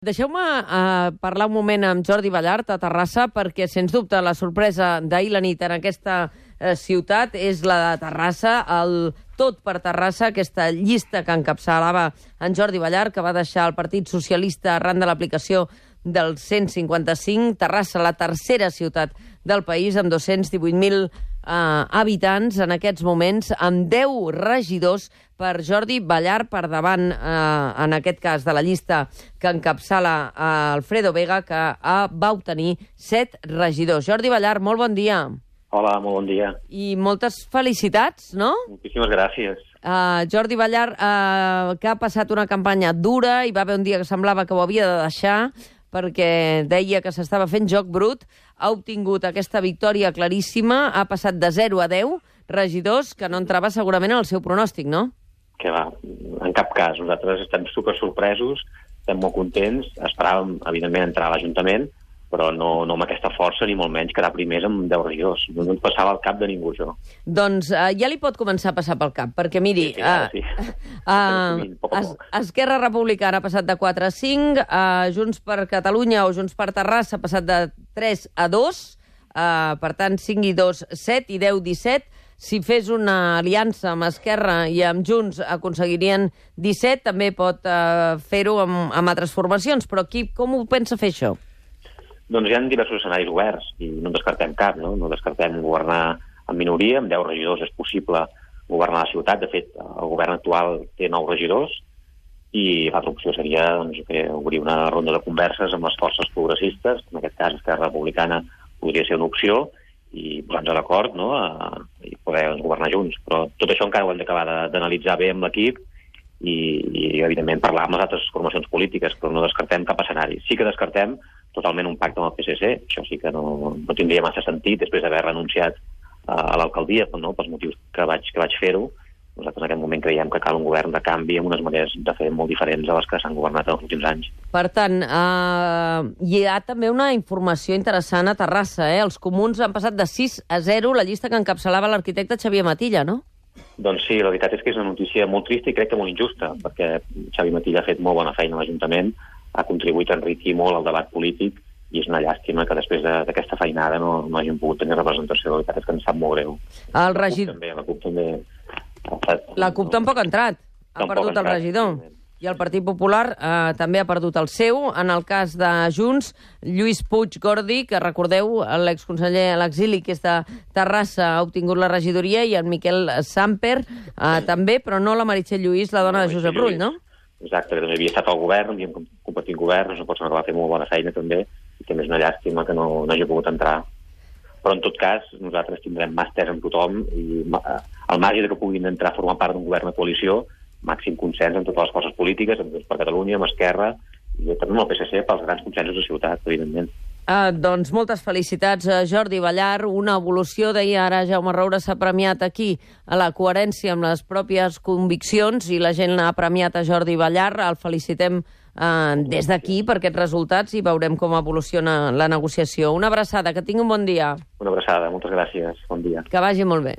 Deixeu-me parlar un moment amb Jordi Ballart a Terrassa, perquè, sens dubte, la sorpresa d'ahir la nit en aquesta ciutat és la de Terrassa, el Tot per Terrassa, aquesta llista que encapçalava en Jordi Ballart, que va deixar el Partit Socialista arran de l'aplicació del 155. Terrassa, la tercera ciutat del país, amb 218.000 habitants en aquests moments, amb 10 regidors per Jordi Ballart per davant, en aquest cas, de la llista que encapçala Alfredo Vega, que va obtenir 7 regidors. Jordi Ballart, molt bon dia. Hola, molt bon dia. I moltes felicitats, no? Moltíssimes gràcies. Jordi Ballart, que ha passat una campanya dura, i va haver un dia que semblava que ho havia de deixar, perquè deia que s'estava fent joc brut, ha obtingut aquesta victòria claríssima, ha passat de 0 a 10 regidors, que no entrava segurament en el seu pronòstic, no? Que va, en cap cas. Nosaltres estem super sorpresos, estem molt contents, esperàvem, evidentment, entrar a l'Ajuntament, però no amb aquesta força, ni molt menys quedar primers amb 10 regidors. No ens passava al cap de ningú, això. Doncs ja li pot començar a passar pel cap, perquè, miri, Sí. Esquerra Republicana ha passat de 4 a 5, Junts per Catalunya o Junts per Terrassa ha passat de 3 a 2, per tant, 5 i 2, 7, i 10, 17. Si fes una aliança amb Esquerra i amb Junts aconseguirien 17, també pot fer-ho amb altres formacions, però com ho pensa fer, això? Doncs hi ha diversos escenaris oberts i no en descartem cap, no? No descartem governar en minoria, amb 10 regidors és possible governar la ciutat. De fet, el govern actual té 9 regidors i l'altra opció seria obrir una ronda de converses amb les forces progressistes, en aquest cas Esquerra Republicana podria ser una opció, i posar-nos d'acord, no?, i poder governar junts. Però tot això encara ho hem d'acabar d'analitzar bé amb l'equip i evidentment, parlar amb les altres formacions polítiques, però no descartem cap escenari. Sí que descartem totalment un pacte amb el PSC, això sí que no tindria massa sentit, després d'haver renunciat a l'alcaldia, no?, pels motius que vaig fer-ho. Nosaltres en aquest moment creiem que cal un govern de canvi amb unes maneres de fer molt diferents a les que s'han governat en els últims anys. Per tant, hi ha també una informació interessant a Terrassa, Els comuns han passat de 6 a 0 la llista que encapçalava l'arquitecte Xavier Matilla, no? Doncs sí, la veritat és que és una notícia molt trista i crec que molt injusta, perquè Xavier Matilla ha fet molt bona feina a l'Ajuntament, ha contribuït a enriquir molt el debat polític, i és una llàstima que després d'aquesta feinada no hagin pogut tenir representació. La veritat és que ens sap molt greu. La CUP també. La CUP tampoc ha entrat, ha perdut el regidor. I el Partit Popular també ha perdut el seu. En el cas de Junts, Lluís Puig Gordi, que recordeu, l'exconseller a l'exili, que és de Terrassa, ha obtingut la regidoria, i en Miquel Samper també, però no la Meritxell Lluís, la dona de Josep Rull, no? Exacte, que també havia estat al govern, havíem compartit govern, és una persona que va fer molt bona feina també, i també és una llàstima que no hagi pogut entrar. Però en tot cas, nosaltres tindrem mà estesa amb tothom, i al marge que puguin entrar a formar part d'un govern de coalició, màxim consens amb totes les forces polítiques, amb Junts per Catalunya, amb Esquerra, i també amb el PSC pels grans consensos de ciutat, evidentment. Doncs moltes felicitats, Jordi Ballart. Una evolució, deia ara Jaume Roure, s'ha premiat aquí a la coherència amb les pròpies conviccions, i la gent ha premiat a Jordi Ballart. El felicitem des d'aquí per aquests resultats i veurem com evoluciona la negociació. Una abraçada, que tingui un bon dia. Una abraçada, moltes gràcies, bon dia. Que vagi molt bé.